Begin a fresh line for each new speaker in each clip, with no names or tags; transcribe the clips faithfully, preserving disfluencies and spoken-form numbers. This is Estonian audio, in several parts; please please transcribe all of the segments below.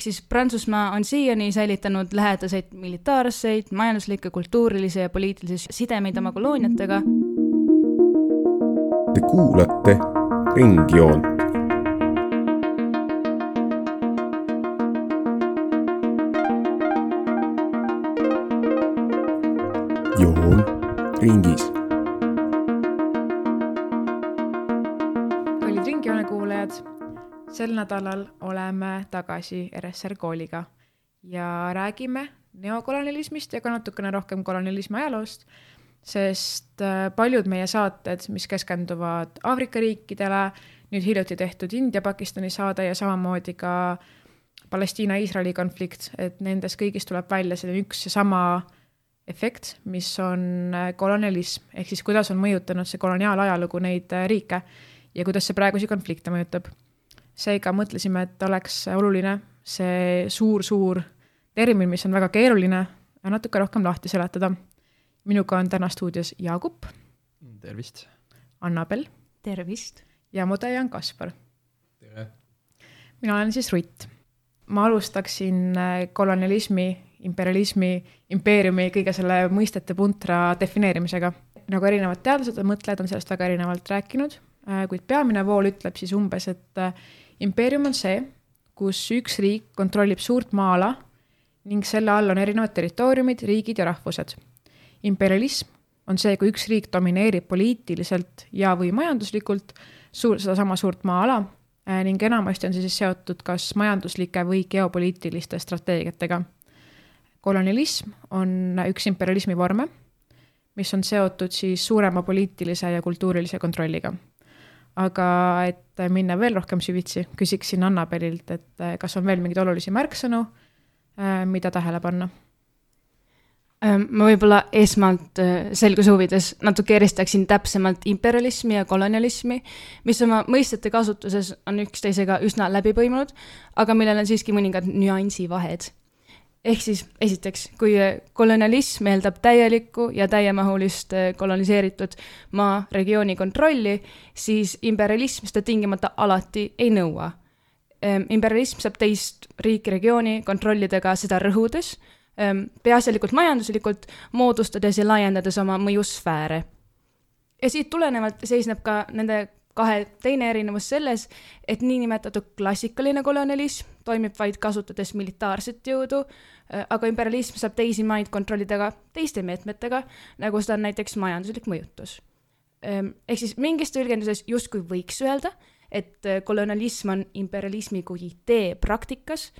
siis Prantsusmaa on siiani säilitanud lähedaseid militaarseid, majanduslikke, kultuurilisi ja poliitilisi sidemeid oma kolooniatega.
Te kuulate Ringjoont. Joon ringis.
Kallid Ringjoone kuulajad, sel nädalal oleme tagasi R S R kooliga ja räägime neokolonialismist ja ka natukene rohkem kolonialismi ajaloost, sest paljud meie saated, mis keskenduvad Aafrika riikidele, nüüd hiljuti tehtud India-Pakistani saade ja samamoodi ka Palestiina-Iisraeli konflikt, et nendes kõigis tuleb välja see üks ja sama efekt, mis on kolonialism, ehk siis kuidas on mõjutanud see koloniaalajalugu neid riike ja kuidas see praegusi konflikte mõjutab. Seega mõtlesime, et oleks oluline see suur-suur termin, mis on väga keeruline, natuke rohkem lahti seletada. Minuga on täna stuudios Jaagup.
Tervist.
Annabel.
Tervist.
Ja Modejan Kaspar.
Tere.
Mina olen siis Rutt. Ma alustaksin kolonialismi, imperialismi, impeeriumi, kõige selle mõistete puntra defineerimisega. Nagu erinevad teadlased ja mõtlejad on sellest väga erinevalt rääkinud, kuid peamine vool ütleb siis umbes, et impeerium on see, kus üks riik kontrollib suurt maa-ala ning selle all on erinevad territooriumid, riigid ja rahvused. Imperialism on see, kui üks riik domineerib poliitiliselt ja või majanduslikult suur, seda sama suurt maa-ala ning enamasti on see siis seotud kas majanduslike või geopoliitiliste strateegiatega. Kolonialism on üks imperialismi vorme, mis on seotud siis suurema poliitilise ja kultuurilise kontrolliga. Aga et minna veel rohkem süvitsi, küsiksin Annabelilt, et kas on veel mingid olulisi märksõnu, mida tähele panna?
Ma võib-olla esmalt selguse huvides natuke eristaksin täpsemalt imperialismi ja kolonialismi, mis oma mõistete kasutuses on üksteisega üsna läbi põimunud, aga millel on siiski mõningad nüansi vahed. Ehk siis esiteks, kui kolonialism eeldab täielikku ja täiemahulist koloniseeritud maa regiooni kontrolli, siis imperialism seda tingimata alati ei nõua. Imperialism saab teist riiki regiooni kontrollidega seda rõhudes, peaasjalikult majanduslikult moodustades ja laiendades oma mõjusfääre. Ja siit tulenevalt seisneb ka nende kahe teine erinevus selles, et niinimetatud klassikaline kolonialism toimib vaid kasutades militaarset jõudu, aga imperialism saab teisi maid kontrollida ka teiste meetmetega, nagu seda on näiteks majanduslik mõjutus. Ehk siis mingis tõlgenduses justkui võiks öelda, et kolonialism on imperialismi kui idee praktikas,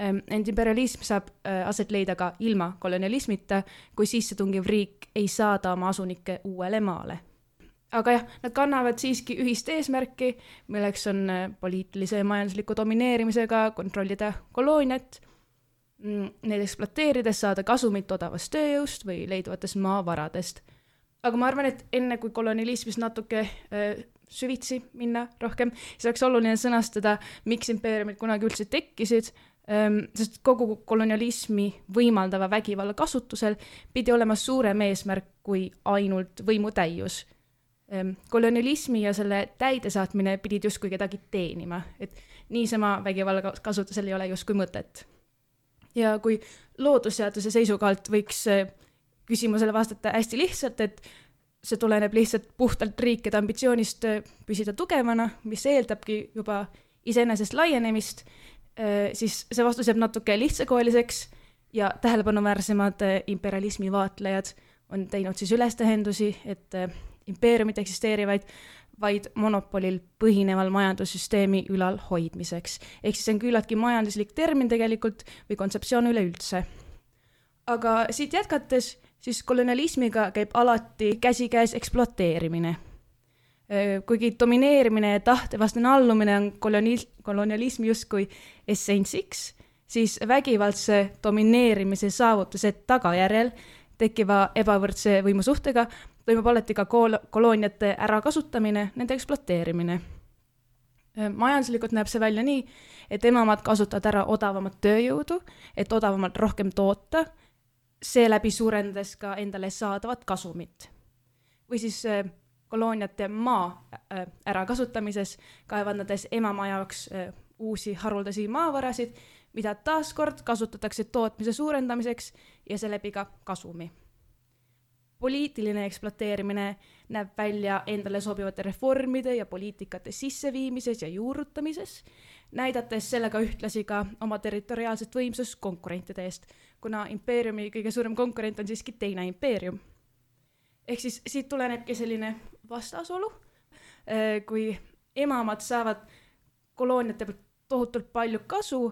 ent imperialism saab aset leida ka ilma kolonialismita, kui sissetungiv riik ei saada oma asunikke uuele maale. Aga jah, nad kannavad siiski ühist eesmärki, milleks on poliitilise ja majandusliku domineerimisega kontrollida kolooniat, neid ekspluateerides saada kasumit odavast tööjõust või leiduvatest maavaradest. Aga ma arvan, et enne kui kolonialismis natuke äh, süvitsi minna rohkem, siis oleks oluline sõnastada, miks impeeriumid kunagi üldse tekkisid, ähm, sest kogu kolonialismi võimaldava vägivalla kasutusel pidi olema suurem eesmärk kui ainult võimutäius. Ähm, kolonialismi ja selle täidesaatmine pidid justkui kedagi teenima, et niisama vägivalla kasutusel ei ole justkui mõtet. Ja kui loodusseaduse seisukohalt võiks küsimusele vastata hästi lihtsalt, et see tuleneb lihtsalt puhtalt riikide ambitsioonist püsida tugevana, mis eeldabki juba iseenesest laienemist, siis see vastus jääb natuke lihtsakoeliseks ja tähelepanuväärsemad imperialismi vaatlejad on teinud siis ülestähendusi, et impeeriumid eksisteerivaid vaid monopolil põhineval majandussüsteemi ülal hoidmiseks. Ehk siis on küllaltki majanduslik termin tegelikult või kontseptsioon üleüldse. Aga siit jätkates, siis kolonialismiga käib alati käsikäes ekspluateerimine. Kuigi domineerimine ja tahtevastane allumine on kolonialismi justkui essentsiks, siis vägivaldse domineerimise saavutuse tagajärjel tekkiva ebavõrdse võimusuhtega toimub alati ka kolooniate ärakasutamine, nende ekspluateerimine. Majanduslikult näeb see välja nii, et emamad kasutavad ära odavamat tööjõudu, et odavamalt rohkem toota, seeläbi suurendades ka endale saadavat kasumit. Või siis kolooniate maa ärakasutamises, kaevandades emamaa jaoks uusi haruldasi maavarasid, mida taaskord kasutatakse tootmise suurendamiseks ja seeläbi ka kasumi. Poliitiline ekspluateerimine näeb välja endale sobivate reformide ja poliitikate sisseviimises ja juurutamises, näidates sellega ühtlasi ka oma territoriaalset võimsust konkurentide eest, kuna impeeriumi kõige suurem konkurent on siiski teine impeerium. Ehk siis siit tulenebki selline vastasolu, kui emamad saavad kolooniate pealt tohutult palju kasu,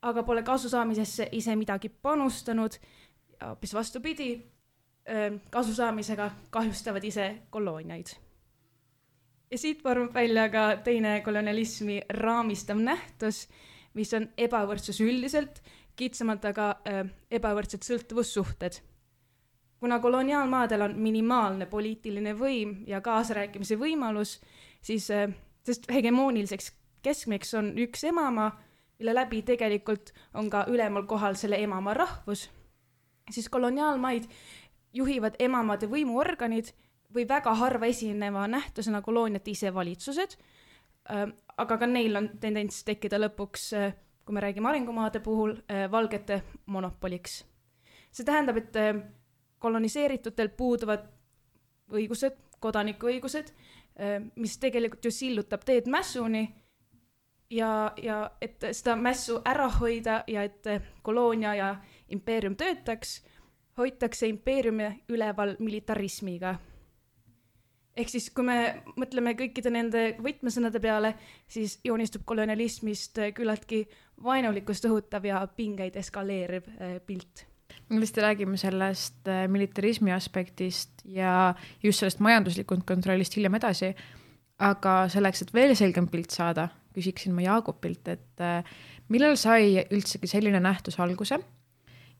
aga pole kasu saamisesse ise midagi panustanud ja hoopis vastupidi, kasu saamisega kahjustavad ise kolooniaid. Ja siit vormab välja ka teine kolonialismi raamistav nähtus, mis on ebavõrdsus üldiselt, kitsamalt aga ebavõrdsed sõltuvussuhted. Kuna koloniaalmaadel on minimaalne poliitiline võim ja kaasarääkimise võimalus, siis sest hegemooniliseks keskmeks on üks emamaa, mille läbi tegelikult on ka ülemal kohal selle emamaa rahvus, siis koloniaalmaid juhivad emamade võimuorganid või väga harva esineva nähtusena kolooniate ise valitsused, aga ka neil on tendents tekkida lõpuks, kui me räägime arengumaade puhul, valgete monopoliks. See tähendab, et koloniseeritutel puuduvad õigused, kodanikuõigused, mis tegelikult ju sillutab teed mässuni ja, ja et seda mässu ära hoida ja et koloonia ja impeerium töötaks, hoitakse impeeriumi üleval militarismiga. Ehk siis, kui me mõtleme kõikide nende võtmesõnade peale, siis joonistub kolonialismist küllaltki vaenulikkust õhutav ja pingeid eskaleeriv pilt.
Me lihtsalt räägime sellest militarismi aspektist ja just sellest majanduslikund kontrollist hiljem edasi, aga selleks, et veel selgem pilt saada, küsiksin ma Jaagupilt, et millal sai üldsegi selline nähtus alguse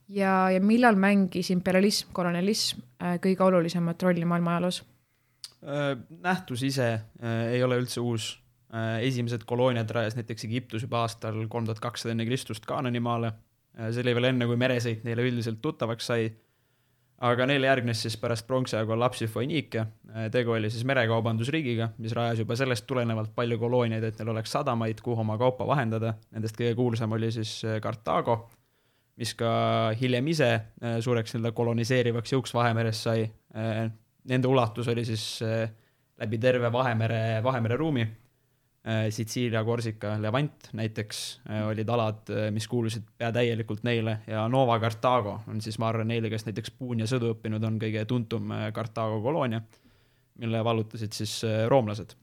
ja, ja millal mängis imperialism, kolonialism kõige olulisemat rolli maailma ajaloos?
Nähtus ise ei ole üldse uus. Esimesed kolooniad rajas näiteks Egiptus juba aastal kolm tuhat kakssada enne Kristust Kaananimaale. See oli veel enne, kui meresõit neile üldiselt tuttavaks sai. Aga neile järgnes siis pärast pronksiaegu lapsi Foiniike. Tegu oli siis merekaubandusriigiga, mis rajas juba sellest tulenevalt palju kolooniaid, et neil oleks sadamaid, kuhu oma kaupa vahendada. Nendest kõige kuulsam oli siis Kartaago, mis ka hiljem ise suureks koloniseerivaks jõuks Vahemeres sai. Nende ulatus oli siis läbi terve Vahemere, Vahemere ruumi. Sitsiilia, Korsika, Levant näiteks olid alad, mis kuulusid pea täielikult neile ja Nova Kartaago on siis, ma arvan, neile, kes näiteks puun ja sõdu õppinud on kõige tuntum Kartaago koloonia, mille vallutasid siis roomlased.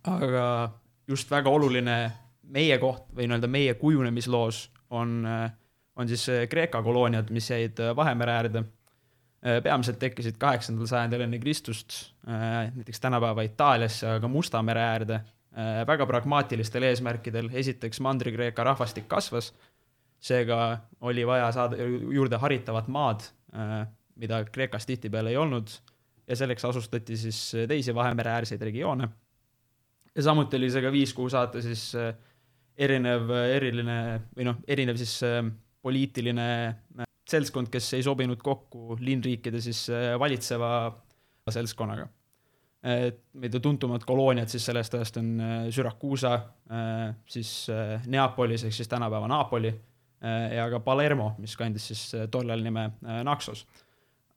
Aga just väga oluline meie koht või nii-öelda meie kujunemisloos on, on siis Kreeka kolooniad, mis jäid Vahemere äärde. Peamiselt tekkisid kaheksandal sajandil enne Kristust, näiteks tänapäeva Itaaliasse, aga Musta mere äärde, väga pragmaatilistel eesmärkidel. Esiteks Mandri-Kreeka rahvastik kasvas, seega oli vaja saada juurde haritavat maad, mida Kreekas tihtipeale ei olnud, ja selleks asustati siis teisi Vahemere äärseid regioone. Ja samuti oli see ka viis, kuhu saata siis erinev, eriline, või noh, erinev siis poliitiline seltskond, kes ei sobinud kokku linnriikide siis valitseva seltskonnaga. Mida tuntumad kolooniad siis sellest ajast on Syrakuusa, siis Neapolis, ehk siis tänapäeva Napoli ja ka Palermo, mis kandis siis tollel nime Naxos.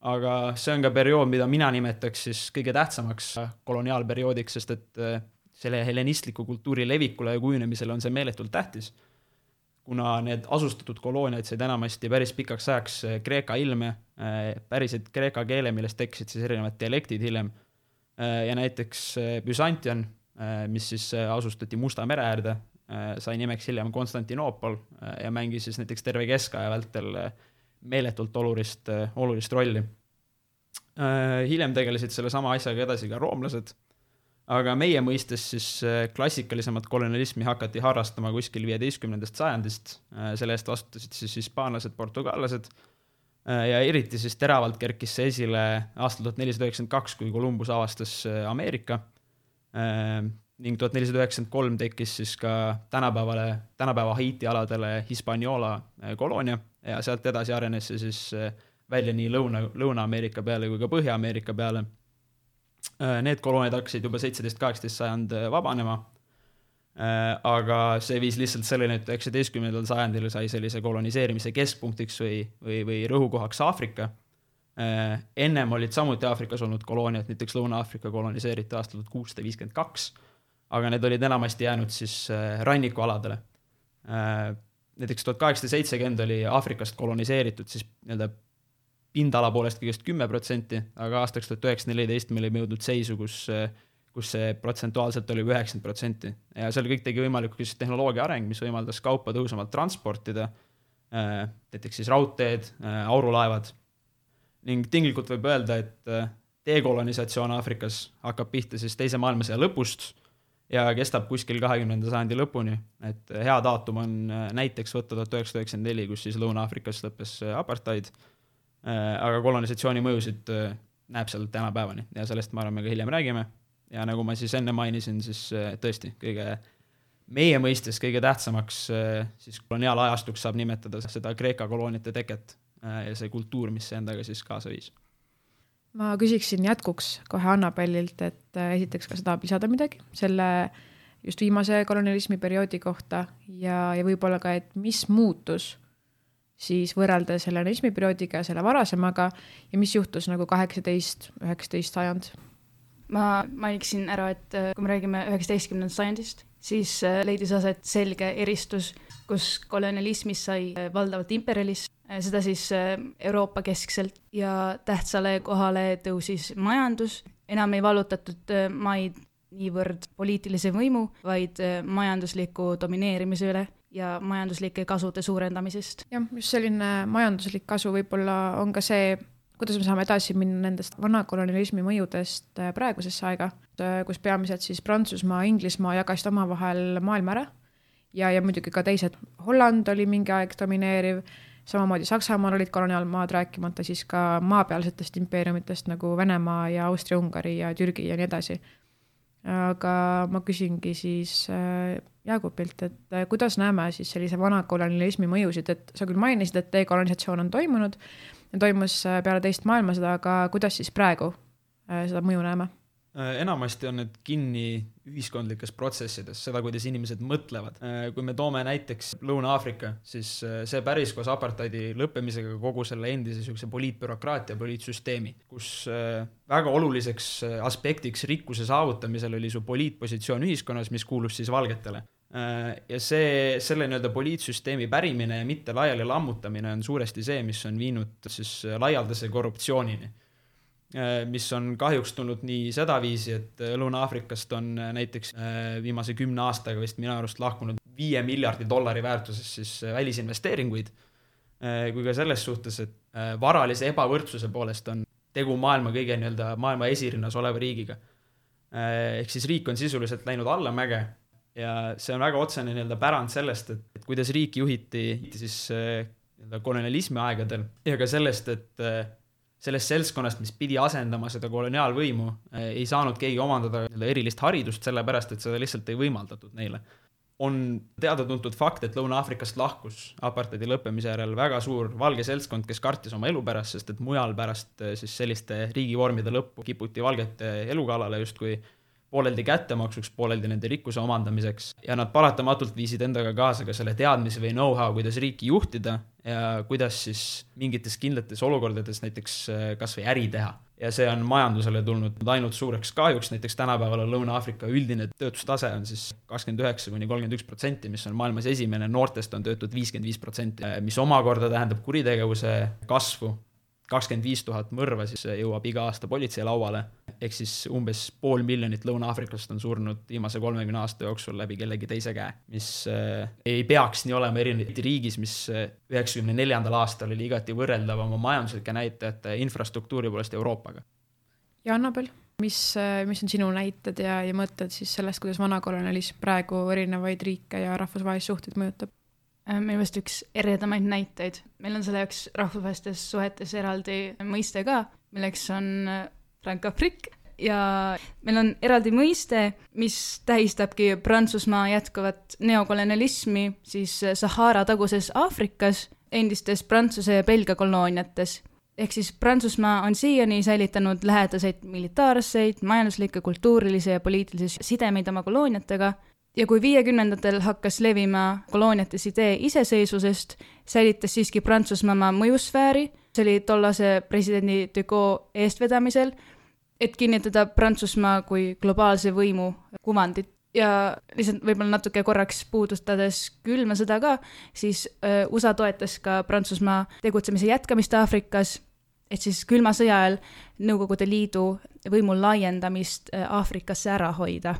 Aga see on ka periood, mida mina nimetaks siis kõige tähtsamaks koloniaalperioodiks, sest et selle hellenistliku kultuuri levikule ja kujunemisele on see meeletult tähtis. Kuna need asustatud kolooniad said enamasti päris pikaks ajaks kreeka ilme, päriselt kreeka keele, millest tekkisid siis erinevad dialektid hiljem. Ja näiteks Byzantion, mis siis asustati Musta mere äärde, sai nimeks hiljem Konstantinoopol ja mängis siis näiteks terve keskaja vältel meeletult olulist, olulist rolli. Hiljem tegelesid selle sama asjaga edasi ka roomlased. Aga meie mõistes siis klassikalisemat kolonialismi hakati harrastama kuskil viieteistkümnendast sajandist, selle eest vastutasid siis hispaanlased, portugallased ja eriti siis teravalt kerkis see esile aastal tuhat nelisada üheksakümmend kaks, kui Columbus avastas Ameerika ning tuhat nelisada üheksakümmend kolm tekkis siis ka tänapäevale, tänapäeva Haiti aladele Hispaniola koloonia ja sealt edasi arenes see siis välja nii Lõuna, Lõuna-Ameerika peale kui ka Põhja-Ameerika peale. Need kolooniad hakkasid juba seitseteist kaheksateist sajand vabanema. aga see viis lihtsalt selleni, et üheksateistkümnendal sajandil sai sellise koloniseerimise keskpunktiks või, või, või rõhukohaks Aafrika. Ennem olid samuti Aafrikas olnud kolooniad, näiteks Lõuna-Aafrika koloniseeriti aastal tuhat kuussada viiskümmend kaks, aga need olid enamasti jäänud siis rannikualadele. Näiteks tuhat kaheksasada seitsekümmend oli Aafrikast koloniseeritud siis nii-öelda pindala poolest kõigest kümme protsenti, aga aastaks tuhat üheksasada neliteist me olime jõudnud seisu, kus, kus see protsentuaalselt oli üheksakümmend protsenti. Ja seal kõik tegi võimalikuks tehnoloogia areng, mis võimaldas kaupa tõhusamalt transportida, näiteks siis raudteed, aurulaevad. Ning tinglikult võib öelda, et dekolonisatsioon Aafrikas hakkab pihta siis teise maailmasõja lõpust ja kestab kuskil kahekümnenda sajandi lõpuni. Et hea daatum on näiteks võtta tuhat üheksasada üheksakümmend neli, kus siis Lõuna-Aafrikas lõppes apartheid, aga kolonisatsiooni mõjusid näeb seal tänapäevani ja sellest ma arvan, me ka hiljem räägime. Ja nagu ma siis enne mainisin, siis tõesti kõige meie mõistes kõige tähtsamaks siis koloniaalajastuks saab nimetada seda Kreeka kolooniate teket ja see kultuur, mis see endaga siis kaasa viis.
Ma küsiksin jätkuks kohe Annabellilt, et esiteks ka seda lisada midagi selle just viimase kolonialismi perioodi kohta ja, ja võib-olla ka, et mis muutus siis võrrelda selle kolonialismi perioodiga ja selle varasemaga ja mis juhtus nagu kaheksateist üheksateist sajand?
Ma mainiksin ära, et kui me räägime üheksateistkümnendast sajandist, siis leidis aset selge eristus, kus kolonialismis sai valdavalt imperialism, seda siis Euroopa keskselt ja tähtsale kohale tõusis majandus. Enam ei vallutatud maid niivõrd poliitilise võimu, vaid majandusliku domineerimise üle ja majanduslike kasude suurendamisest.
Jah, just selline majanduslik kasu võib-olla on ka see, kuidas me saame edasi minna nendest vana kolonialismi mõjudest praegusesse aega, kus peamiselt siis Prantsusmaa, Inglismaa jagasid oma vahel maailma ära ja, ja muidugi ka teised. Holland oli mingi aeg domineeriv, samamoodi Saksamaal olid koloniaalmaad, rääkimata siis ka maapealsetest impeeriumitest nagu Venemaa ja Austria-Ungari ja Türgi ja nii edasi. Aga ma küsingi siis Jaagupilt, et kuidas näeme siis sellise vana kolonialismi mõjusid, et sa küll mainisid, et dekolonisatsioon on toimunud ja toimus peale teist maailmasõda, aga kuidas siis praegu seda mõju näeme?
Enamasti on need kinni ühiskondlikes protsessides, seda, kuidas inimesed mõtlevad. Kui me toome näiteks Lõuna-Aafrika, siis see päris koos apartheidi lõppemisega kogu selle endise poliitbürokraatia, poliitsüsteemi, kus väga oluliseks aspektiks rikkuse saavutamisel oli su poliitpositsioon ühiskonnas, mis kuulus siis valgetele. Ja see, selle nii-öelda poliitsüsteemi pärimine ja mitte laiali lammutamine on suuresti see, mis on viinud siis laialdase korruptsioonini, mis on kahjuks tulnud nii seda viisi, et Lõuna-Aafrikast on näiteks viimase kümne aastaga vist minu arust lahkunud viie miljardi dollari väärtuses siis välisinvesteeringuid, kui ka selles suhtes, et varalise ebavõrdsuse poolest on tegu maailma kõige nii-öelda maailma esirinnas oleva riigiga. Ehk siis riik on sisuliselt läinud allamäge ja see on väga otsene nii-öelda pärand sellest, et, et kuidas riik juhiti siis nii-öelda kolonialismi aegadel ja ka sellest, et sellest seltskonnast, mis pidi asendama seda koloniaalvõimu, ei saanud keegi omandada erilist haridust, sellepärast, et seda lihtsalt ei võimaldatud neile. On teada-tuntud fakt, et Lõuna-Aafrikast lahkus apartheidi lõppemise järel väga suur valge seltskond, kes kartis oma elu pärast, sest et mujal pärast siis selliste riigivormide lõppu kiputi valgete elukalale justkui pooleldi kättemaksuks, pooleldi nende rikkuse omandamiseks ja nad paratamatult viisid endaga kaasa ka selle teadmise või know-how, kuidas riiki juhtida ja kuidas siis mingites kindlates olukordades näiteks kas või äri teha. Ja see on majandusele tulnud ainult suureks kahjuks, näiteks tänapäeval on Lõuna-Aafrika üldine töötustase on siis kakskümmend üheksa kuni kolmkümmend üks protsenti, mis on maailmas esimene, noortest on töötud viiskümmend viis protsenti, mis omakorda tähendab kuritegevuse kasvu. kakskümmend viis tuhat mõrva siis jõuab iga aasta politsei lauale, ehk siis umbes pool miljonit Lõuna-Aafrikast on surnud viimase kolmekümne aasta jooksul läbi kellegi teise käe, mis äh, ei peaks nii olema erinevalt riigis, mis üheksakümne neljandal aastal oli igati võrreldav oma majanduslike näitajate infrastruktuuri poolest Euroopaga.
Ja Annabel, mis, mis on sinu näited ja, ja mõtted siis sellest, kuidas vana kolonialism praegu erinevaid riike ja rahvusvahelisi suhteid mõjutab?
Meil vast üks eredamaid näiteid. Meil on selle jaoks rahvusvahelistes suhetes eraldi mõiste ka, milleks on Franco-Afrique ja meil on eraldi mõiste, mis tähistabki Prantsusmaa jätkuvat neokolonialismi siis Sahara taguses Aafrikas endistes Prantsuse ja Belgia kolooniates. Ehk siis Prantsusmaa on siiani säilitanud lähedaseid militaarseid, majanduslikke, kultuurilisi ja poliitilisi sidemeid oma kolooniatega ja kui viiekümnendatel hakkas levima kolooniates idee iseseisvusest, säilitas siiski Prantsusmaa oma mõjusfääri, see oli tollase presidendi de Gaulle eestvedamisel, et kinnitada Prantsusmaa kui globaalse võimu kuvandit. Ja lihtsalt võib-olla natuke korraks puudustades külma sõda ka, siis U S A toetas ka Prantsusmaa tegutsemise jätkamist Aafrikas, et siis külma sõja ajal Nõukogude Liidu võimu laiendamist Aafrikasse ära hoida.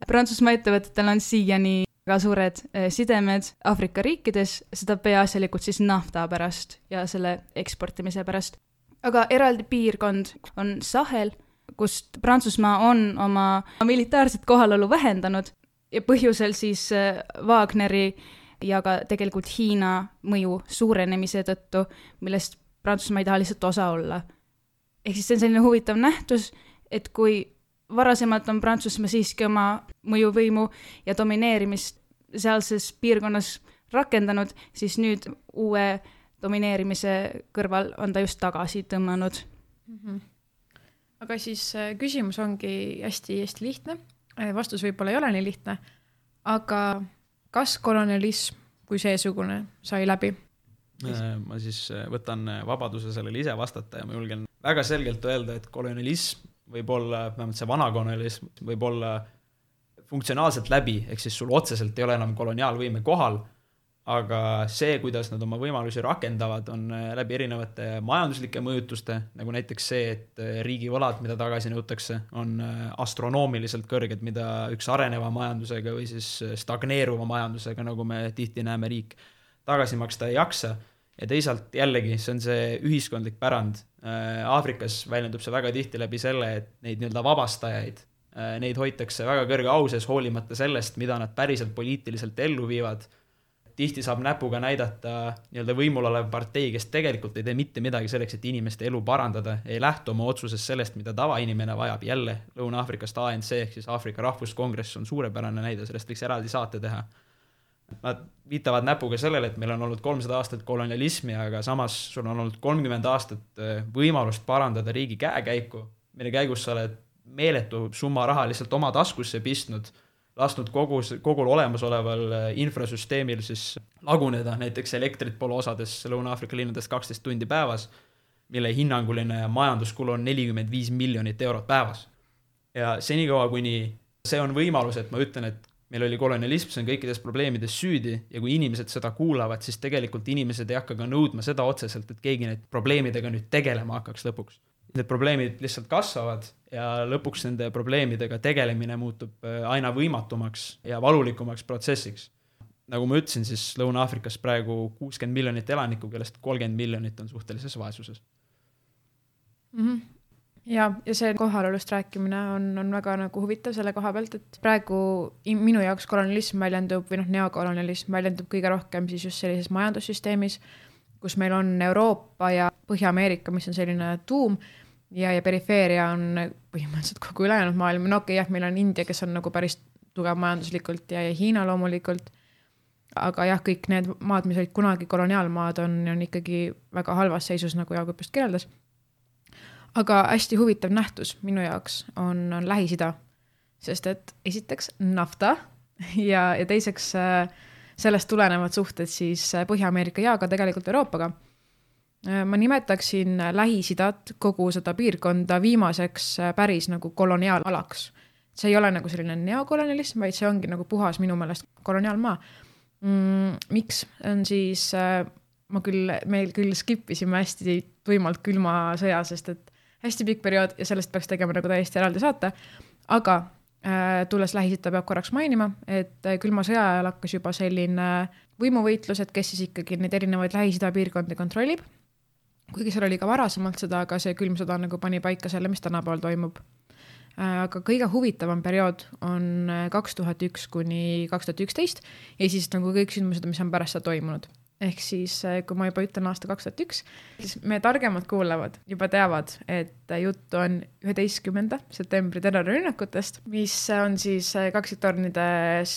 Prantsusmaa ettevõtetel on siiani väga suured sidemed Aafrika riikides, seda peaasjalikult siis nafta pärast ja selle eksportimise pärast. Aga eraldi piirkond on Sahel, kust Prantsusmaa on oma militaarset kohalolu vähendanud ja põhjusel siis Wagneri ja ka tegelikult Hiina mõju suurenemise tõttu, millest Prantsusmaa ei taha lihtsalt osa olla. Ehk siis see on selline huvitav nähtus, et kui varasemalt on Prantsusmaa siiski oma mõjuvõimu ja domineerimist sealses piirkonnas rakendanud, siis nüüd uue domineerimise kõrval on ta just tagasi tõmmanud.
Mm-hmm. Aga siis küsimus ongi hästi-hästi lihtne. Vastus võib-olla ei ole nii lihtne, aga kas kolonialism kui seesugune sai läbi?
Ma siis võtan vabaduse sellele ise vastata ja ma julgen väga selgelt öelda, et kolonialism võib olla, vähemalt see vana kolonialism võib olla funktsionaalselt läbi, ehk siis sul otseselt ei ole enam koloniaalvõime kohal, aga see, kuidas nad oma võimalusi rakendavad, on läbi erinevate majanduslike mõjutuste, nagu näiteks see, et riigi võlad, mida tagasi nõutakse, on astronoomiliselt kõrged, mida üks areneva majandusega või siis stagneeruva majandusega, nagu me tihti näeme riik, tagasi maksta ei jaksa. Ja teisalt jällegi, see on see ühiskondlik pärand. Aafrikas väljendub see väga tihti läbi selle, et neid nii-öelda vabastajaid, neid hoitakse väga kõrge au sees hoolimata sellest, mida nad päriselt poliitiliselt ellu viivad. Tihti saab näpuga näidata nii-öelda võimul olev partei, kes tegelikult ei tee mitte midagi selleks, et inimeste elu parandada, ei lähtu oma otsuses sellest, mida tavainimene vajab. Jälle Lõuna-Aafrikast A N C ehk siis Aafrika Rahvuskongress on suurepärane näide, sellest võiks eraldi saate teha. Nad viitavad näpuga sellele, et meil on olnud kolmsada aastat kolonialismi, aga samas sul on olnud kolmkümmend aastat võimalust parandada riigi käekäiku, mille käigus sa oled meeletu summa raha lihtsalt oma taskusse pistnud, lasknud kogu, kogul olemasoleval infrasüsteemil siis laguneda, näiteks elektrit pole osades Lõuna-Aafrika linnades kaksteist tundi päevas, mille hinnanguline majanduskulu on nelikümmend viis miljonit eurot päevas. Ja senikaua, kuni see on võimalus, et ma ütlen, et meil oli kolonialism, see on kõikides probleemides süüdi ja kui inimesed seda kuulavad, siis tegelikult inimesed ei hakka ka nõudma seda otseselt, et keegi need probleemidega nüüd tegelema hakkaks lõpuks. Need probleemid lihtsalt kasvavad ja lõpuks nende probleemidega tegelemine muutub aina võimatumaks ja valulikumaks protsessiks. Nagu ma ütlesin, siis Lõuna-Aafrikas praegu kuuskümmend miljonit elanikku, kellest kolmkümmend miljonit on suhtelises vaesuses.
Mm-hmm. Ja, ja see kohalolust rääkimine on, on väga nagu huvitav selle koha pealt, et praegu minu jaoks kolonialism väljendub või noh, neokolonialism väljendub kõige rohkem siis just sellises majandussüsteemis, kus meil on Euroopa ja Põhja-Ameerika, mis on selline tuum ja, ja perifeeria on põhimõtteliselt kogu ülejäänud maailm. No okei, jah, meil on India, kes on nagu päris tugev majanduslikult ja, ja Hiina loomulikult, aga jah, kõik need maad, mis olid kunagi koloniaalmaad, on, on ikkagi väga halvas seisus, nagu Jaagup just kirjeldas. Aga hästi huvitav nähtus minu jaoks on, on Lähis-Ida, sest et esiteks nafta ja, ja teiseks sellest tulenevad suhted siis Põhja-Ameerika ja ka tegelikult Euroopaga. Ma nimetaksin Lähis-Idat kogu seda piirkonda viimaseks päris nagu koloniaalalaks. See ei ole nagu selline neokolonialism, vaid see ongi nagu puhas minu meelest koloniaalmaa. Mm, miks on siis, ma küll, meil küll skipisime hästi tuimalt külma sõja, sest et hästi pikk periood ja sellest peaks tegema nagu täiesti eraldi saata, aga äh, tulles Lähis-Ida peab korraks mainima, et külma sõja ajal hakkas juba selline võimuvõitlus, et kes siis ikkagi neid erinevaid Lähis-Ida piirkondi kontrollib, kuigi seal oli ka varasemalt seda, aga see külm sõda nagu pani paika selle, mis tänapäeval toimub. Äh, aga kõige huvitavam periood on kaks tuhat üks kuni kaks tuhat üksteist ja siis nagu kõik sündmused, mis on pärast seda toimunud. Ehk siis, kui ma juba ütlen aasta kaks tuhat üks, siis me targemad kuulevad, juba teavad, et juttu on üheteistkümnenda septembri terrorirünnakutest, mis on siis kaksiktornides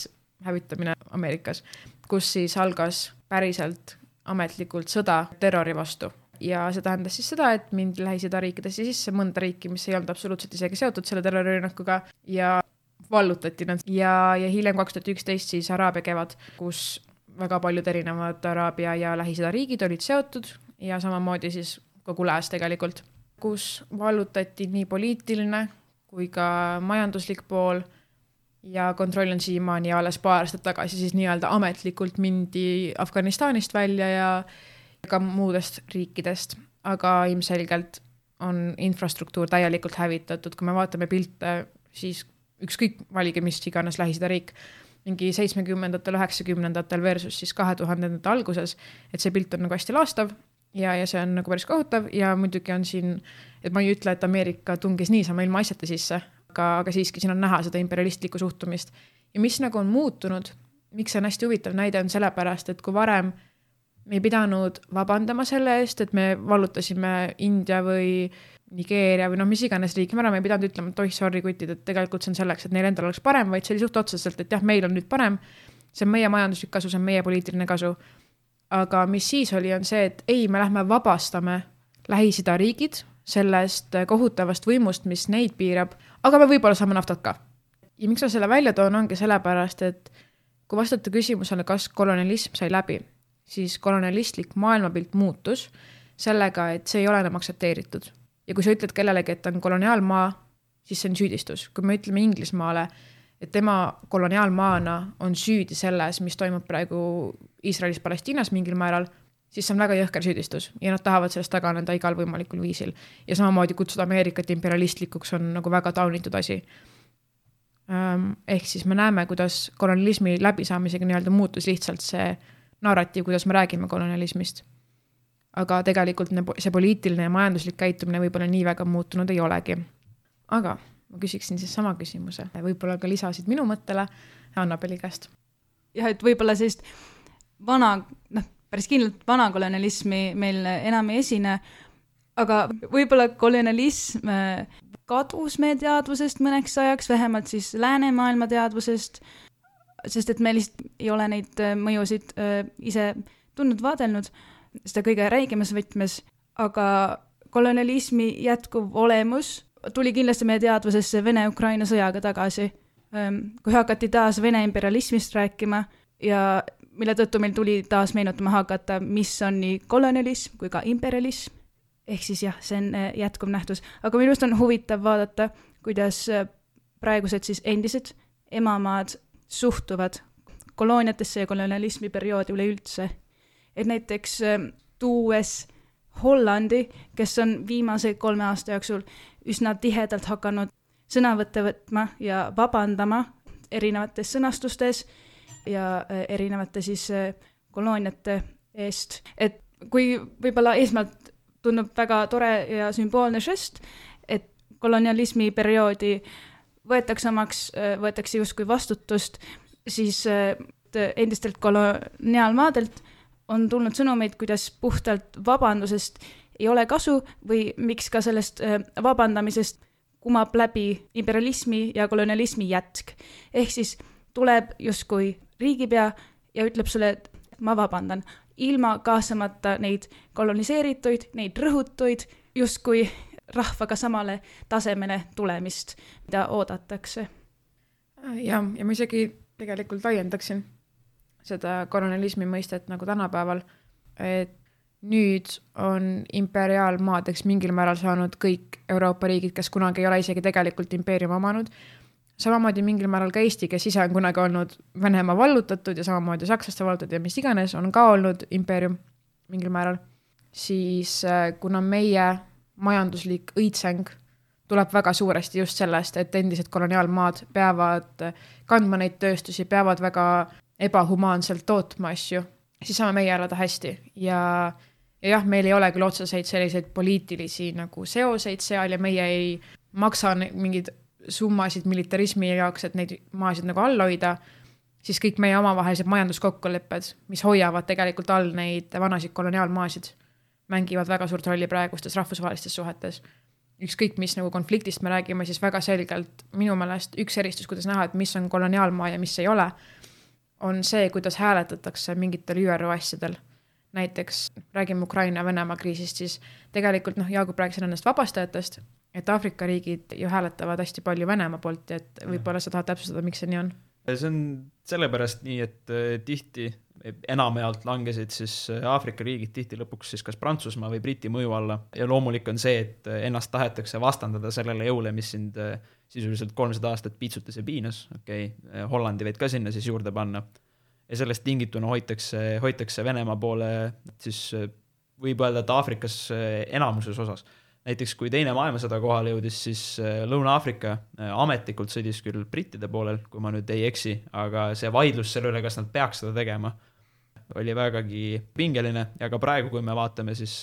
hävitamine Ameerikas, kus siis algas päriselt ametlikult sõda terrori vastu. Ja see tähendas siis seda, et mindi Lähis-Ida riikidesse sisse mõnda riiki, mis ei olnud absoluutselt isegi seotud selle terrorirünnakuga ja vallutati nad ja, ja hiljem kaks tuhat üksteist siis Araabia kevad, kus väga paljud erinevad Araabia ja Lähis-Ida riigid olid seotud ja samamoodi siis kogu lääs tegelikult, kus vallutati nii poliitiline kui ka majanduslik pool ja kontroll on siiamaani ja alles paar aastat tagasi siis nii-öelda ametlikult mindi Afganistanist välja ja ka muudest riikidest, aga ilmselgelt on infrastruktuur täielikult hävitatud, kui me vaatame pilte, siis ükskõik valige mis iganes Lähis-Ida riik, mingi seitsmekümnendatel, üheksakümnendatel versus siis kahe tuhandendate alguses, et see pilt on nagu hästi laastav ja, ja see on nagu päris kohutav ja muidugi on siin, et ma ei ütle, et Ameerika tungis niisama ilma asjata sisse, aga, aga siiski siin on näha seda imperialistlikku suhtumist. Ja mis nagu on muutunud, miks see on hästi huvitav näide, on sellepärast, et kui varem me ei pidanud vabandama selle eest, et me vallutasime India või Nigeeria või noh, mis iganes riik, me ei pidanud ütlema, et oih, sorry kutid, et tegelikult see on selleks, et neil endal oleks parem, vaid see oli suht otseselt, et jah, meil on nüüd parem, see on meie majanduslik kasu, see on meie poliitiline kasu. Aga mis siis oli, on see, et ei, me lähme vabastame Lähis-Ida riigid sellest kohutavast võimust, mis neid piirab, aga me võib-olla saame naftat ka. Ja miks ma selle välja toon, ongi sellepärast, et kui vastata küsimusele, kas kolonialism sai läbi, siis kolonialistlik maailmapilt muutus sellega, et see ei ole enam aktsepteeritud. Ja kui sa ütled kellelegi, et on koloniaalmaa, siis see on süüdistus. Kui me ütleme Inglismaale, et tema koloniaalmaana on süüdi selles, mis toimub praegu Iisraelis Palestiinas mingil määral, siis see on väga jõhker süüdistus ja nad tahavad sellest taganeda igal võimalikul viisil. Ja samamoodi kutsuda Ameerikat imperialistlikuks on nagu väga taunitud asi. Ehk siis me näeme, kuidas kolonialismi läbisaamisega nii-öelda muutus lihtsalt see narratiiv, kuidas me räägime kolonialismist. Aga tegelikult see poliitiline ja majanduslik käitumine võib-olla nii väga muutunud ei olegi. Aga ma küsiksin siis sama küsimuse. Võib-olla ka lisasid minu mõttele Annabeli käest.
Jah, et võib-olla sellist vana, noh, päris kindlalt vana kolonialismi meil enam ei esine, aga võib-olla kolonialism kadus meie teadvusest mõneks ajaks, vähemalt siis läänemaailma teadvusest, sest et me lihtsalt ei ole neid mõjusid ise tundnud vaadelnud, seda kõige räigemas võtmes, aga kolonialismi jätkuv olemus tuli kindlasti meie teadvusesse Vene-Ukraina sõjaga tagasi, kui hakati taas Vene imperialismist rääkima ja mille tõttu meil tuli taas meenutama hakata, mis on nii kolonialism kui ka imperialism, ehk siis jah, see on jätkuv nähtus. Aga minust on huvitav vaadata, kuidas praegused siis endised emamaad suhtuvad kolooniatesse ja kolonialismi perioodi üleüldse. Et näiteks tuues Hollandi, kes on viimase kolme aasta jooksul üsna tihedalt hakanud sõnavõtte võtma ja vabandama erinevates sõnastustes ja erinevate siis kolooniate eest. Et kui võib-olla eesmalt tundub väga tore ja sümboolne žest, et kolonialismi perioodi võetakse omaks, võetakse justkui vastutust, siis endistelt koloniaalmaadelt on tulnud sõnumeid, kuidas puhtalt vabandusest ei ole kasu või miks ka sellest vabandamisest kumab läbi imperialismi ja kolonialismi jätk. Ehk siis tuleb justkui riigipea ja ütleb sulle, et ma vabandan, ilma kaasamata neid koloniseerituid, neid rõhutuid, justkui rahvaga samale tasemele tulemist, mida oodatakse.
Ja, ja ma isegi tegelikult laiendaksin seda kolonialismi mõistet nagu tänapäeval, et nüüd on imperiaalmaadeks mingil määral saanud kõik Euroopa riigid, kes kunagi ei ole isegi tegelikult impeeriumi omanud. Samamoodi mingil määral ka Eesti, kes ise on kunagi olnud Venemaa vallutatud ja samamoodi sakslaste vallutatud ja mis iganes, on ka olnud impeerium mingil määral. Siis kuna meie majanduslik õitseng tuleb väga suuresti just sellest, et endised koloniaalmaad peavad kandma neid tööstusi, peavad väga ebahumaanselt tootma asju, siis saame meie elada hästi. Ja, ja jah, meil ei ole küll otseseid selliseid poliitilisi nagu seoseid seal ja meie ei maksa mingid summasid militarismi jaoks, et neid maasid nagu all hoida, siis kõik meie omavahelised majanduskokkulepped, mis hoiavad tegelikult all neid vanasid koloniaalmaasid, mängivad väga suurt rolli praegustes rahvusvahelistes suhetes. Ükskõik, mis nagu konfliktist me räägime, siis väga selgelt minu meelest üks eristus, kuidas näha, et mis on koloniaalmaa ja mis ei ole, on see, kuidas hääletatakse mingitel ÜRO asjadel. Näiteks räägime Ukraina ja Venemaa kriisist, siis tegelikult noh, Jaagup rääkis ennast vabastajatest, et Aafrika riigid ju hääletavad hästi palju Venemaa poolt, et võib-olla sa tahad täpsustada, miks see nii on?
See on sellepärast nii, et tihti enamjaolt langesid siis Aafrika riigid tihti lõpuks siis kas Prantsusmaa või Briti mõju alla ja loomulik on see, et ennast tahetakse vastandada sellele jõule, mis sind sisuliselt kolmsada aastat piitsutas ja piinas, okei, okay, Hollandi võid ka sinna siis juurde panna ja sellest tingituna hoitakse, hoitakse Venemaa poole siis võib öelda, et Aafrikas enamuses osas. Näiteks kui teine maailmasõda kohale jõudis, siis Lõuna-Aafrika ametlikult sõdis küll brittide poolel, kui ma nüüd ei eksi, aga see vaidlus selle üle, kas nad peaks seda tegema, oli vägagi pingeline ja ka praegu, kui me vaatame, siis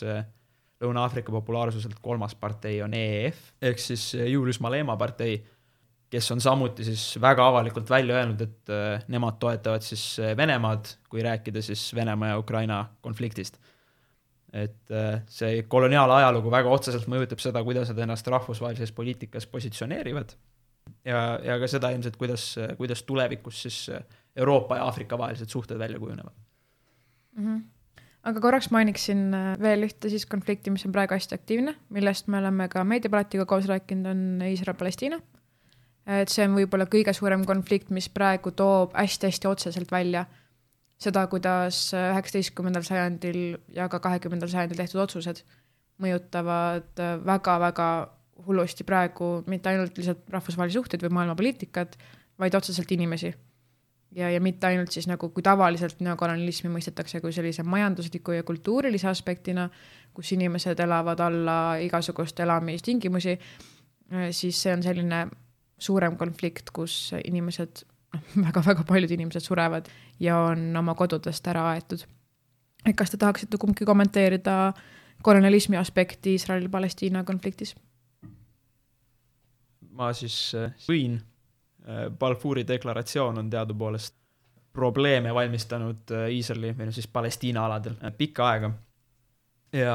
Lõuna-Aafrika populaarsuselt kolmas partei on E E F, ehk siis Julius Malema partei, kes on samuti siis väga avalikult välja öelnud, et nemad toetavad siis Venemaad, kui rääkida siis Venemaa ja Ukraina konfliktist. Et see koloniaal ajalugu väga otseselt mõjutab seda, kuidas nad ennast rahvusvahelises poliitikas positsioneerivad ja, ja ka seda ilmselt, kuidas, kuidas tulevikus siis Euroopa ja Aafrika vahelised suhted välja kujunevad.
Mm-hmm. Aga korraks mainiksin veel ühte siis konflikti, mis on praegu hästi aktiivne, millest me oleme ka meediapalatiga koos rääkinud, on Iisrael-Palestiina. Et see on võib-olla kõige suurem konflikt, mis praegu toob hästi-hästi otseselt välja seda, kuidas üheksateistkümnendal sajandil ja ka kahekümnendal sajandil tehtud otsused mõjutavad väga-väga hullusti praegu mitte ainult lihtsalt rahvusvahelisi suhteid või maailmapoliitikat, vaid otseselt inimesi. Ja, ja mitte ainult siis nagu, kui tavaliselt neokolonialismi mõistetakse kui sellise majandusliku ja kultuurilise aspektina, kus inimesed elavad alla igasugust elamistingimusi, siis see on selline suurem konflikt, kus inimesed väga-väga paljud inimesed surevad ja on oma kodudest ära aetud. Kas te tahaksite kumbki kommenteerida kolonialismi aspekti Iisrael-Palestiina konfliktis?
Ma siis võin. Balfouri deklaratsioon on teadupoolest probleeme valmistanud Iisraeli või siis Palestiina aladel pikka aega. Ja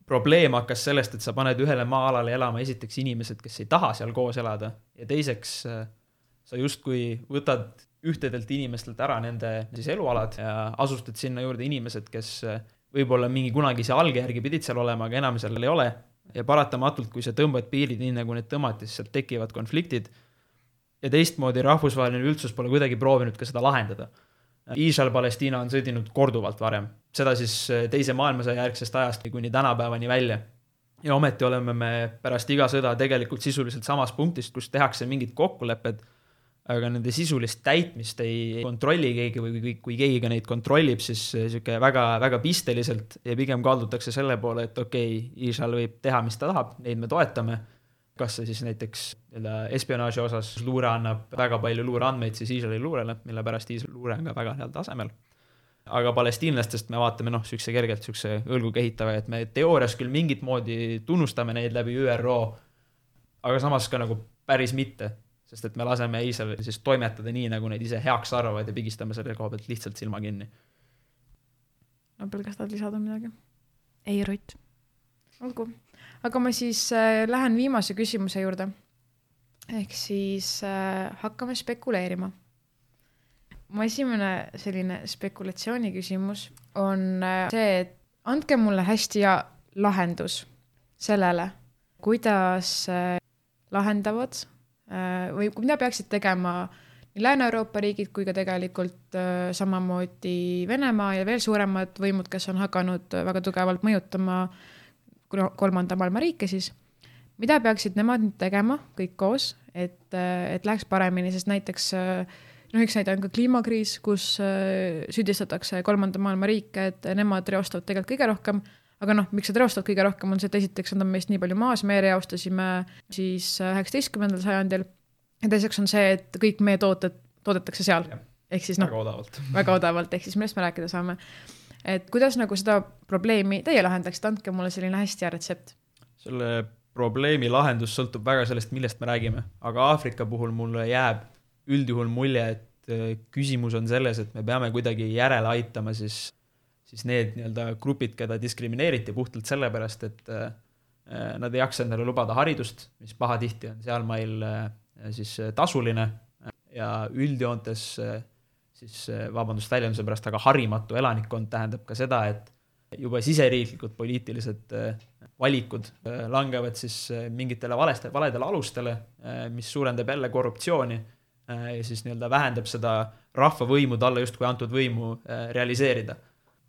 probleem hakkas sellest, et sa paned ühele maa-alale elama esiteks inimesed, kes ei taha seal koos elada ja teiseks sa justkui võtad ühtedelt inimestelt ära nende siis elualad ja asustad sinna juurde inimesed, kes võib-olla mingi kunagise alge järgi pidid seal olema, aga enam seal ei ole. Ja paratamatult, kui sa tõmbad piirid nii, nagu need tõmmati, siis sealt tekivad konfliktid. Ja teistmoodi rahvusvaheline üldsus pole kuidagi proovinud ka seda lahendada. Iisrael-Palestiina on sõdinud korduvalt varem. Seda siis teise maailmasõja järgsest ajast kuni tänapäevani välja. Ja ometi oleme me pärast iga sõda tegelikult sisuliselt samas punktist, kus tehakse mingid kokkulepped, aga nende sisulist täitmist ei kontrolli keegi või kui, kui keegi ka neid kontrollib, siis siuke väga, väga pisteliselt ja pigem kaldutakse selle poole, et okei, okay, Iisrael võib teha, mis ta tahab, neid me toetame. Kas see siis näiteks espionaaži osas luure annab väga palju luureandmeid siis Iisraeli luurele, mille pärast Iisraeli luure on ka väga heal tasemel. Aga palestiinlastest me vaatame noh, sükse kergelt sükse õlgu kehitava, et me teoorias küll mingit moodi tunnustame neid läbi Ü R O, aga samas ka nagu päris mitte. Sest et me laseme Iisraeli siis toimetada nii, nagu neid ise heaks arvavad ja pigistame selle koha pealt lihtsalt silma kinni.
Nobel, kas tahad lisada midagi?
Ei, Rutt.
Olgu. Aga ma siis äh, lähen viimase küsimuse juurde. Ehk siis äh, hakkame spekuleerima. Mu esimene selline spekulatsiooni küsimus on äh, see, et andke mulle hästi ja lahendus sellele, kuidas äh, lahendavad või mida peaksid tegema nii Lääne-Euroopa riigid kui ka tegelikult äh, samamoodi Venemaa ja veel suuremad võimud, kes on hakanud väga tugevalt mõjutama kolmanda maailma riike siis. Mida peaksid nemad nüüd tegema kõik koos, et, et läheks paremini, sest näiteks no üks näide on ka kliimakriis, kus äh, süüdistatakse kolmanda maailma riike, et nemad reostavad tegelikult kõige rohkem. Aga noh, miks nad reostavad kõige rohkem on see, et esiteks on meist nii palju maas, me reostasime siis üheksateistkümnendal sajandil ja teiseks on see, et kõik meie tooted toodetakse seal. Ehk siis noh,
väga odavalt.
Väga odavalt, ehk siis millest me rääkida saame. Et kuidas nagu seda probleemi teie lahendaks, andke mulle selline hästi hea retsept.
Selle probleemi lahendus sõltub väga sellest, millest me räägime. Aga Aafrika puhul mulle jääb üldjuhul mulje, et küsimus on selles, et me peame kuidagi järele aitama siis siis need nii-öelda grupid, keda diskrimineeriti puhtalt sellepärast, et nad ei jaksa endale lubada haridust, mis pahatihti on seal meil siis tasuline ja üldjoontes siis vabandust väljenduse pärast, aga harimatu elanikkond tähendab ka seda, et juba siseriiklikud poliitilised valikud langevad siis mingitele valeste, valedele alustele, mis suurendab jälle korruptsiooni ja siis nii-öelda vähendab seda rahvavõimu talle justkui antud võimu realiseerida.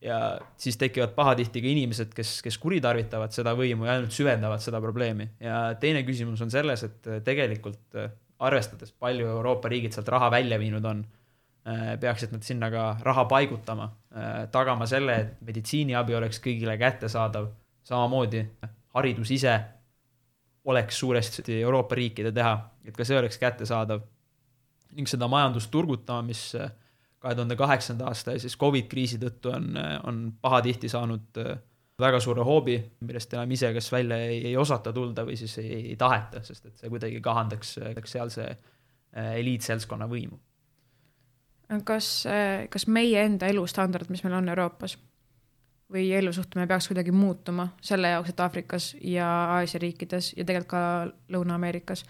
Ja siis tekivad pahatihti ka inimesed, kes, kes kuritarvitavad seda võimu ja ainult süvendavad seda probleemi. Ja teine küsimus on selles, et tegelikult arvestades palju Euroopa riigid sealt raha välja viinud on, peaksid nad sinna ka raha paigutama, tagama selle, et meditsiiniabi oleks kõigile kättesaadav, samamoodi haridus ise oleks suuresti Euroopa riikide teha, et ka see oleks kättesaadav ning seda majandust turgutama, mis kahe tuhande kaheksanda aasta ja siis COVID-kriisi tõttu on, on pahatihti saanud väga suure hoobi, millest enam ise kas välja ei, ei osata tulda või siis ei, ei taheta, sest et see kuidagi kahandaks sealse eliitselskonna võimu.
Kas, kas meie enda elustandard, mis meil on Euroopas või elusuhtumine peaks kuidagi muutuma selle jaoks, et Aafrikas ja Aasia riikides ja tegelikult ka Lõuna-Ameerikas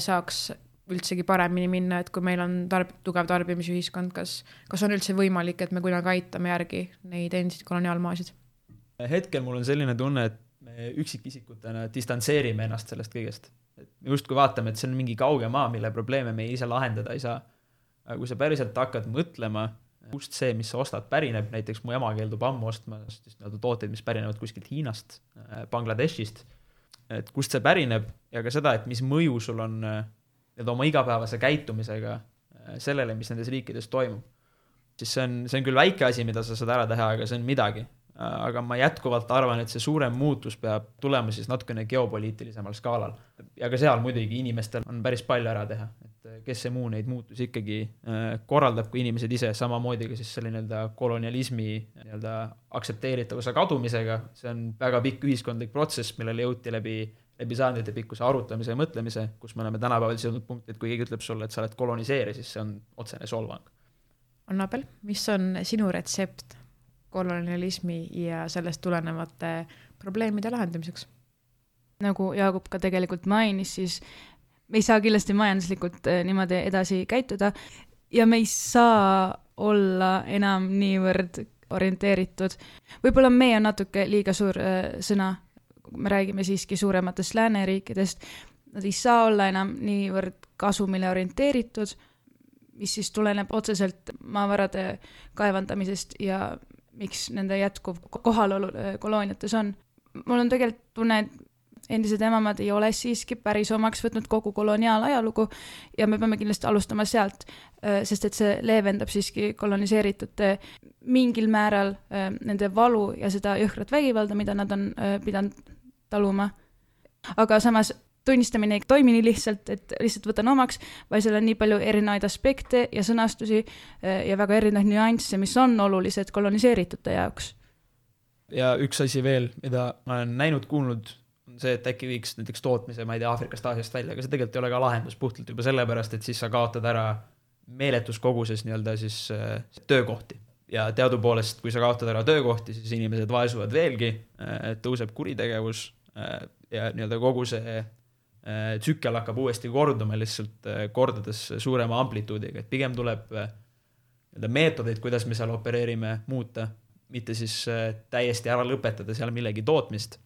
saaks üldsegi paremini minna, et kui meil on tarb, tugev tarbimisühiskond, kas, kas on üldse võimalik, et me kunagi aitame järgi neid endiseid koloniaalmaasid?
Hetkel mul on selline tunne, et me üksikisikutena distantseerime ennast sellest kõigest. Et me just kui vaatame, et see on mingi kauge maa, mille probleeme me ise lahendada ei saa. Aga kui sa päriselt hakkad mõtlema, kust see, mis sa ostad, pärineb, näiteks mu ema keeldub ammu ostma tooteid, mis pärinevad kuskilt Hiinast, Bangladeshist, et kust see pärineb ja ka seda, et mis mõju sul on oma igapäevase käitumisega sellele, mis nendes riikides toimub. Siis see on, see on küll väike asi, mida sa saad ära teha, aga see on midagi. Aga ma jätkuvalt arvan, et see suurem muutus peab tulema siis natukene geopoliitilisemal skaalal. Ja ka seal muidugi inimestel on päris palju ära teha. Et kes see muu neid muutus ikkagi korraldab, kui inimesed ise samamoodi ka siis selline kolonialismi aktsepteeritavuse kadumisega. See on väga pikk ühiskondlik protsess, millele jõuti läbi, läbi saandite pikkuse arutamise ja mõtlemise, kus me oleme tänapäeval jõudnud punkti, et kui keegi ütleb sulle, et sa oled koloniseeri, siis see on otsene solvang.
Annabel, mis on sinu retsept kolonialismi ja sellest tulenevate probleemide lahendamiseks?
Nagu Jaagup ka tegelikult mainis, siis me ei saa kindlasti majanduslikult niimoodi edasi käituda ja me ei saa olla enam niivõrd orienteeritud. Võib-olla meie on natuke liiga suur sõna, kui me räägime siiski suurematest lääneriikidest. Nad ei saa olla enam niivõrd kasumile orienteeritud, mis siis tuleneb otseselt maavarade kaevandamisest ja miks nende jätkuv kohalolu kolooniates on. Mul on tegelikult tunne, et endised emamad ei ole siiski päris omaks võtnud kogu koloniaalajalugu ja me peame kindlasti alustama sealt, sest et see leevendab siiski koloniseeritute mingil määral nende valu ja seda jõhkrat vägivalda, mida nad on pidanud taluma. Aga samas tunnistamine ei toimi nii lihtsalt, et lihtsalt võtan omaks, vaid seal on nii palju erinevaid aspekte ja sõnastusi ja väga erinevaid nüansse, mis on olulised koloniseeritute jaoks.
Ja üks asi veel, mida ma olen näinud, kuulnud, on see, et äkki viiks näiteks tootmise, ma ei tea, Aafrikast, Aasiast välja, aga see tegelikult ei ole ka lahendus puhtalt juba sellepärast, et siis sa kaotad ära meeletus koguses nii-öelda siis töökohti. Ja teadupoolest, kui sa kaotad ära töökohti, siis inimesed vaesuvad veelgi, tõuseb kuritegevus ja nii-öelda kogu see tsükkel hakkab uuesti korduma lihtsalt kordades suurema amplituudiga, et pigem tuleb meetodeid, kuidas me seal opereerime, muuta, mitte siis täiesti ära lõpetada seal millegi tootmist,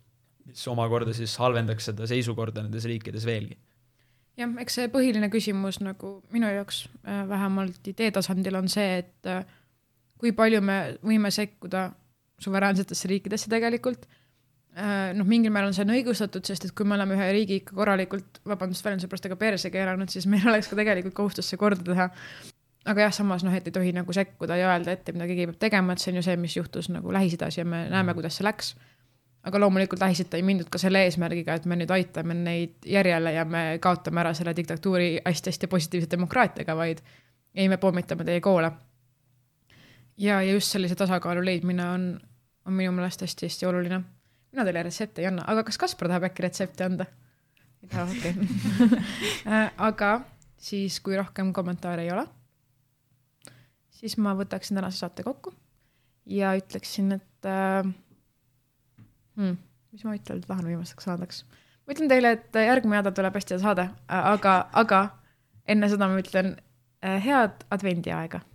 mis omakorda siis halvendaks seda seisukorda nendes riikides veelgi.
Jah, eks see põhiline küsimus nagu minu jaoks vähemalt idee tasandil on see, et kui palju me võime sekkuda suveräänsetesse riikidesse tegelikult. No, mingil määral on see õigustatud, sest et kui me oleme ühe riigi ikka korralikult, vabandust väljenduse pärast aga perse keeranud, siis meil oleks ka tegelikult kohustus see korda teha. Aga jah, samas noh, et ei tohi nagu sekkuda ja öelda ette, mida keegi peab tegema, et see on ju see, mis juhtus nagu Lähis-Idas ja me näeme, kuidas see läks. Aga loomulikult Lähis-Ida ei mindud ka selle eesmärgiga, et me nüüd aitame neid järjele ja me kaotame ära selle diktatuuri hästi-hästi positiivse demokraatiaga, vaid ei me pommitame teie koole. Ja, ja just sellise tasakaalu leidmine on, on minu meelest hästi-hästi oluline. Mina teile retsepte ei anna, aga kas Kaspar tahab äkki retsepte anda? Ei taha, okei. Okay. Aga siis, kui rohkem kommentaare ei ole, siis ma võtaksin tänase saate kokku ja ütleksin, et äh, hmm, mis ma ütlen, et tahan viimastaks saadaks. Ma ütlen teile, et järgmine nädal tuleb hästi saade, aga, aga enne seda ma ütlen äh, head advendiaega.